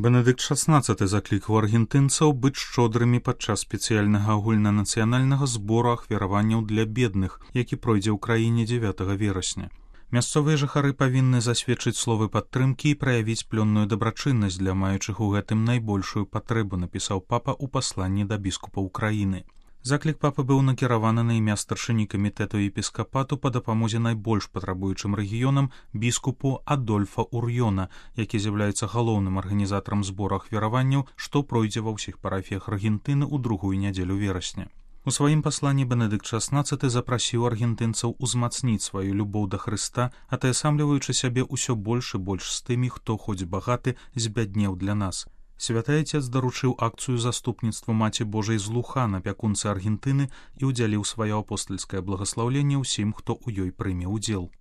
Бенедыкт XVI заклікаў аргентынцаў быць шчодрымі падчас спецыяльнага агульнанацыянальнага збору ахвяраванняў для бедных, які пройдзе ў краіне 9 верасня. Мясцовыя жыхары павінны засведчыць словы падтрымкі і праявіць плённую дабрачыннасць для маючых у гэтым найбольшую патрэбу, напісаў папа ў пасланні да біскупаў краіны. Заклік папы быў накіраваны на імя старшыні камітэту епіскапату па дапамозе найбольш патрабуючым рэгіёнам біскупу Адольфа Урьёна, які з'яўляецца галоўным арганізатарам збору ахвяраванняў, што пройдзе ва ўсіх парафіях Аргентыны ў другую нядзелю верасня. У сваім пасланні Бенедыкт XVI запрасіў аргентынцаў узмацніць сваю любоў да Хрыста, атаясамліваючы сябе ўсё больш і больш з тымі, хто хоць багаты збяднеў для нас. Святы Айцец даручыў акцыю заступніцтва Маці Божай з Лухан, апякунцы Аргентыны, і ўдзяліў сваё апостальскае благаслаўленне ўсім, хто ў ёй прыме ўдзел.